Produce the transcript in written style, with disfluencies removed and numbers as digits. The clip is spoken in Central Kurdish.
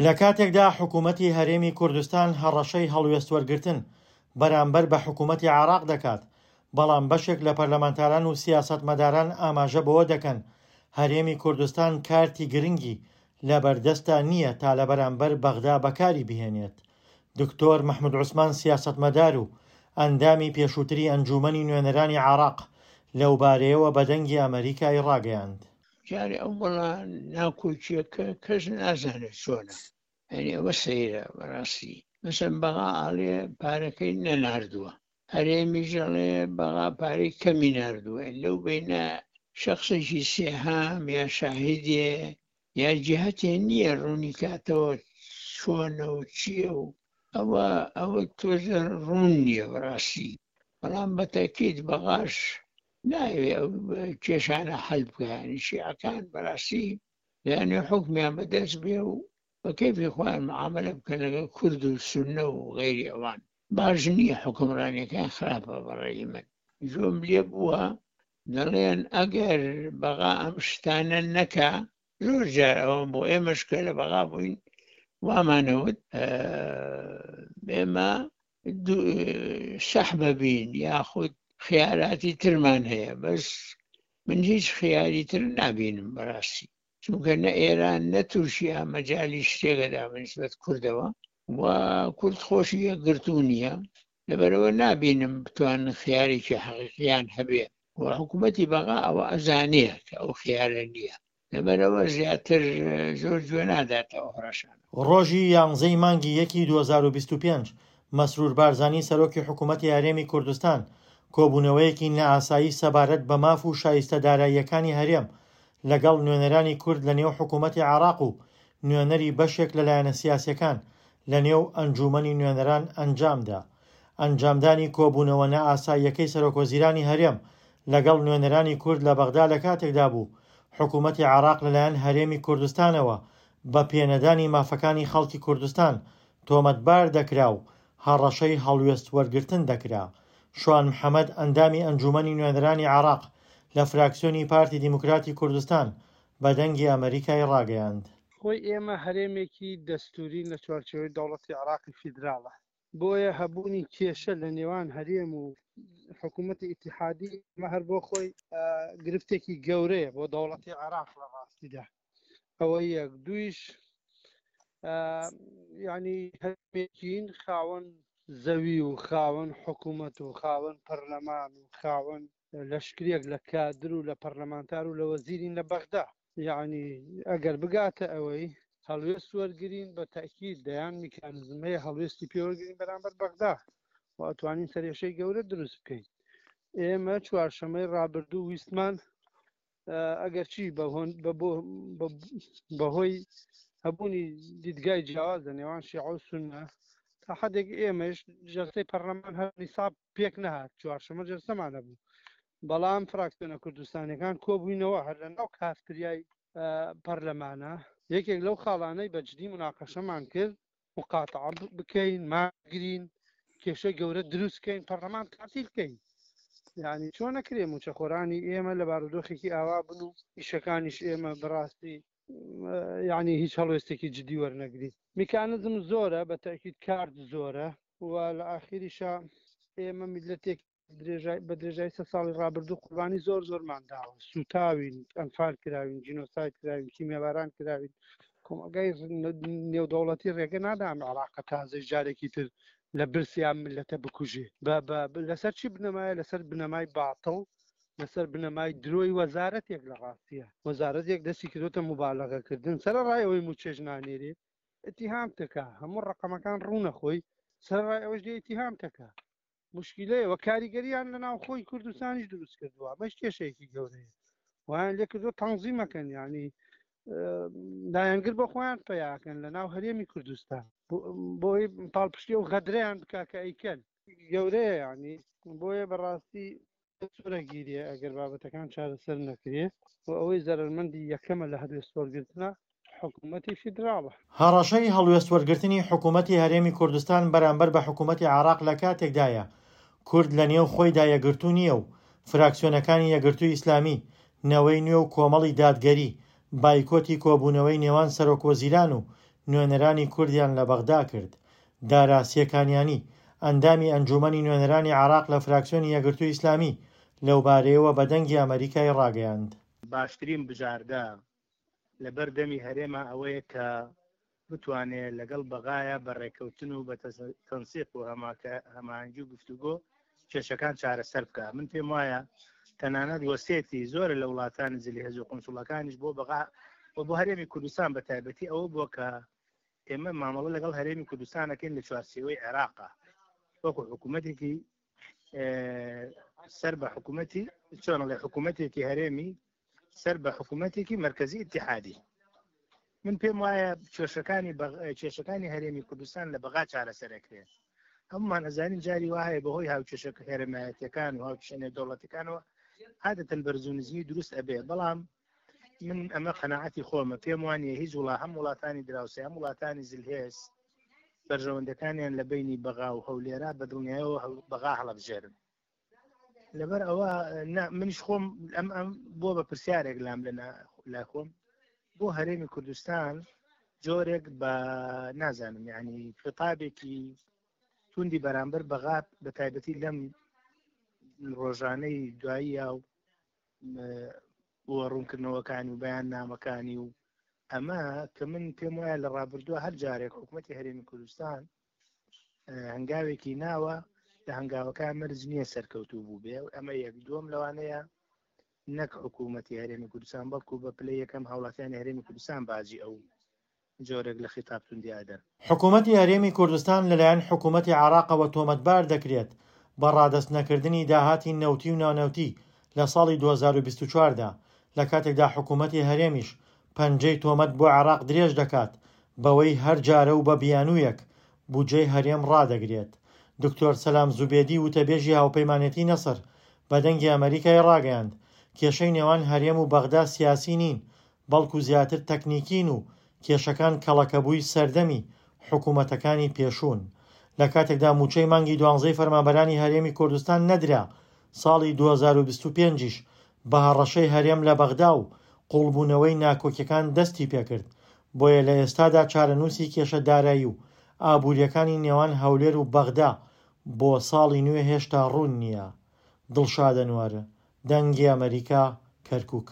لە کاتێکدا حکوومەتی هەرێمی کوردستان هەڕەشەی هەڵوێستوەرگرتن بەرامبەر بە حکوومەتی عێراق دەکات، بەڵام بەشێک لە پەرلەمانتاران و سیاسەتمەداران ئاماژە بەوە دەکەن، هەرێمی کوردستان کارتی گرنگی لەبەردەستدا نییە تا لە بەرامبەر بەغدا بەکاری بهێنێت. دکتۆر مەحمود عوسمان سیاسەتمەدار و ئەندامی پێشووتری ئەنجوومەنی نوێنەرانی عێراق لەوبارەیەوە بە دەنگی ئەمەریکای ڕاگەیاند. جارێ ئەو وەڵا ناکۆکیەکە کەس نازانێت چۆنە یعنی ئەوە سەیرە بەڕاستی مەسەن بەغا ئاڵێ پارەکەی نەناردووە هەرێمیش ئەڵێ بەغا پارەی کەمی ناردووە لەو بینە شخصێکی سێهام یا شاهیدێ یا جهتێ نییە ڕوونی کاتەوە چۆنە و چییە و ئەوە ئەوە تۆزە ڕوون نییە بەڕاستی بەڵام بەتەکیت بەغاش نایەوێ ئەو کێشانە حەل بکا یانی شیعەکان بەڕاستی دەیانەوێ حوکمیان بەدەست بێ و بە کەیفی خۆیان معامەلە بکەن لەگەڵ کورد و سوننە و غەیری ئەوان باش نییە حوکمڕانیەکان خراپە بەڕێی من گوێم لێ بووە دەڵێن ئەگەر بەغا ئەم شتانە نەکا زۆر جار ئەوە بۆ ئێمەش کە لە بەغا بووین وامانەوت ئێمە سەحبە بین یاخود خیاراتی ترمان هەیە بەس من هیچ خیاری تر نابینم بەڕاستی چونکە نە ئێران نە تورکیا مەجای شتێکەدا بەنسبەت کوردەوە و کورد خۆشی یەکگرتوو نییە لەبەرەوە نابینم بتوانن خیارێکی حەقیقیان هەبێ و حکوومەتی بەغا ئەوە ئەزانێ کە ئەو خیارە نییە لەبەرئەوە زیاتر زۆر گوێ ناداتە ئەو هەڕەشانە. ڕۆژی یانزەی مانگی یەکی 2025، مەسرور بارزانی سەرۆکی حکوومەتی هەرێمی کوردستان کۆبوونەوەیەکی نائاسایی سەبارەت بە ماف و شایستە داراییەکانی هەرێم لەگەڵ نوێنەرانی کورد لەنێو حکوومەتی عێراق و نوێنەری بەشێک لە لایەنە سیاسییەکان لەنێو ئەنجوومەنی نوێنەران ئەنجامدا. ئەنجامدانی کۆبوونەوە نائاساییەکەی سەرۆکوەزیرانی هەرێم لەگەڵ نوێنەرانی کورد لە بەغدا لەکاتێکدا بوو، حکوومەتی عێراق لەلایەن هەرێمی کوردستانەوە بە پێنەدانی مافەکانی خەڵکی کوردستان تۆمەتبار دەکرا و هەڕەشەی هەڵوێست وەرگرتن دەکرا. شوان محەمەد ئەندامی ئەنجوومەنی نوێنەرانی عێراق لە فراکسیۆنی پارتی دیموکراتی کوردستان بە دەنگی ئەمەریکای ڕاگەیاند. خۆی ئێمە هەرێمێکی دەستوورین لە چوارچێوەی دەوڵەتی عێراقی فیدراڵە، بۆیە هەبوونی کێشە لە نێوان هەرێم و حکوومەتی ئیتیحادی ئەمە هەر بۆ خۆی گرفتێکی گەورەیە بۆ دەوڵەتی عێراق لە ڕاستیدا ئەوە یەک دویش ینی هەرێمێکین خاوەن زەوی و خاوەن حکوومەت و خاوەن پەرلەمان و خاوەن لەشکرێک لە کادر و لە پەرلەمانتار و لە وەزیرین لە بەغدا یعنی ئەگەر بگاتە ئەوەی هەڵوێست وەرگین بە تاکیید دەیان میکانزم هەیە هەڵوێستی پێوەرگین بەرامبەر بەغدا و ئەتوانین سەرێشەی گەورە دروست بکەین ئێمە چوارشەمەی ڕابردوو ویستمان ئەگەرچی بەهۆی هەبوونی دیدگای جیاواز لە نێوان شیعە و سوننە تا حدێک ئێمەش جەلسەی پەرلەمان هەر نیساب پێک نەهات چوارشەمە جەلسەمان هەبوو بەڵام فراکسیۆنە کوردستانەکان کۆبووینەوە هەر لە ناو کافتریای پەرلەمانە یەکێک لەو خاڵانەی بەجدی مناقەشەمان کرد مقاتعە بکەین ماگرین کێشەی گەورە دروست کەین پەرلەمان تاتیل کەین یعنی چۆن نەکرێ موچەخۆرانی ئێمە لە بارودۆخێکی ئاوا بن و ئیشەکانیش ئێمە بەڕاستی یعنی هیچ هەڵوێستێکی جدی وەرنەگری میکانزم زۆرە بە تاکیید کارت زۆرە و لە ئاخیریشا ئێمە میلەتێک بە درێژای سە ساڵی ڕابردوو قوربانی زۆر زۆرمان داوە سوتاوین ئەنفال کراوین جینۆساید کراوین کیمیاباران کراوین کۆمەڵگای نێودەوڵەتی ڕێگە نادام عراقە تازەی جارێکی تر لە برسیان ملەتە بکوژێ لەسەر چی بنەمایە لەسەر بنەمای باتڵ لەسەر بنەمای درۆی وەزارەتێک لە ڕاستیە وەزارەتێک دەستی کردوتە مبالغەکردن سەر ڕای ئەوەی موچێژ نانێرێ اتهام تکا هەموو ڕقەمەکان ڕوونە خۆی سەر ڕای ئەوەش دێ اتهام تکا موشکیلەیە و کاریگەریان لە ناوخۆی کوردستانیش دروست کردووە ئەمەش کێشەیەکی گەورەیە وایان لێ کردووە تەنزیمەکەن ینی لایەنگر بۆ خۆیان پیاکەن لە ناو هەرێمی کوردستان بۆی پاڵپشتی و غەدرەیان بکە کە ئەیکەن گەورەیە ینی بۆیە بەڕاستی سوورەگیریە ئەگەر بابەتەکان چارەسەر نەکرێ و ئەوەی زەرەرمەندی یەکەمە لە هەلوێست وەرگرتنە حکوومەتی فیدراڵە. هەڕەشەی هەڵوێست وەرگرتنی حکوومەتی هەرێمی کوردستان بەرامبەر بە حکوومەتی عێراق لە کاتێکدایە کورد لە نێو خۆیدا یەکگرتوو نییە و فراکسیۆنەکانی یەکگرتووی ئیسلامی، نەوەی نوێ و کۆمەڵی دادگەری بایکۆتی کۆبوونەوەی نێوان سەرۆکوەزیران و نوێنەرانی کوردیان لە بەغدا کرد. دارا سێکانیانی، ئەندامی ئەنجوومەنی نوێنەرانی عێراق لە فراکسیۆنی یەکگرتووی ئیسلامی، لەوبارەیەوە بە دەنگی ئەمەریکای ڕاگەیاند. باشترین بژاردە لەبەر دەمی هەرێما ئەوەیە کە بتوانێ لەگەڵ بەغایا بە ڕێککەوتن و بە تەنسیق و هەماهەنگی و گفتوگۆ کێشەکان چارەسەر بکە. من پێم وایە تەنانەت وەسێتی زۆرە لە وڵاتانی زلهێز و قونسوڵەکانیش بۆ بەغا و بۆ هەرێمی کوردستان بە تایبەتی ئەوە بووە کە ئێمە مامەڵە لەگەڵ هەرێمی کوردستان ئەکەین لە چوارچێوەی عێراقا وەکو حکوومەتێکی سەر بە حکوومەتی چۆنڵێ حکوومەتێکی هەرێمی سەر بە حکوومەتێکی مرکزی اتحادی. من پێم وایە کێشەکانی کێشەکانی هەرێمی کوردستان لە بەغا چارەسەرەکرێت. هەمومان ئەزانین جاری وا هەیە بەهۆی هاوکێشە هەرێمایەتەکان و هاوکێشە نێودەوڵەتەکانەوە عادەتەن بەرز و نزمی دروست ئەبێ، بەڵام من ئەمە قەناعەتی خۆمە، پێم وانە هیچ وڵا هەم وڵاتانی دراوسێ هەم وڵاتانی زلهێز بەرژەوەندەکانیان لە بینی بەغا و هەولێرا بە دڵنیایەوە بەغا هەڵەبژێرن. لەبەر ئەوە منیش خۆم ئەم ئەم بۆ بە پرسیارێک لام لە لای خۆم بۆ هەرێمی کوردستان جۆرێک بە نازانم یعنی خطابێکی توندی بەرامبەر بەغا بە تایبەتی لەم ڕۆژانەی دواییە و بۆ ڕوونکردنەوەکانی و بەیان نامەکانی و ئەمە کە من پێم وایە لە ڕابردووە هەر جارێک حکوومەتتی هەرێمی کوردستان هەنگاوێکی ناوە لە هەنگاوەکان مەرج نییە سەرکەوتوو بوو بێ ئەمە یەک. دووەم لەوانەیە نەک حکوومەتی هەرێمی کوردستان بەڵکو بە پلەی یەکەم هاوڵاتیانی هەرێمی کوردستان باجی ئەو جۆرێک لە خیتاب توندی ئەدەن. حکوومەتی هەرێمی کوردستان لەلایەن حکوومەتی عێراقەوە تۆمەتبار دەکرێت بە ڕادەست نەکردنی داهاتی نەوتی و نانەوتی لە ساڵی 2024 دا، لە کاتێکدا حکوومەتی هەرێمیش پەنجەی تۆمەت بۆ عێراق درێژ دەکات بەوەی هەر جارە و بە بیانوویەک بودجەی هەرێم ڕادەگرێت. دکتۆر سەلام زوبێدی وتەبێژی هاوپەیمانێتی نەسر بە دەنگی ئەمەریکای ڕاگەیاند، کێشەی نێوان هەرێم و بەغدا سیاسی نین، بەڵکو زیاتر تەکنیکین و کێشەکان کەڵەکەبووی سەردەمی حکومەتەکانی پێشوون. لە کاتێکدا مووچەی مانگی دوانزەی فەرمانبەرانی هەرێمی کوردستان نەدرا، ساڵی 2025 یش بە هەڕەشەی هەرێم لە بەغدا و قووڵبوونەوەی ناکۆکیەکان دەستی پێکرد، بۆیە لە ئێستادا چارەنووسی کێشە دارایی و ئابوورییەکانی نێوان هەولێر و بەغدا بۆ ساڵی نوێ هێشتا ڕوون نییە. دڵشاد ئەنوەر، دەنگی ئەمەریکا، کەرکوک.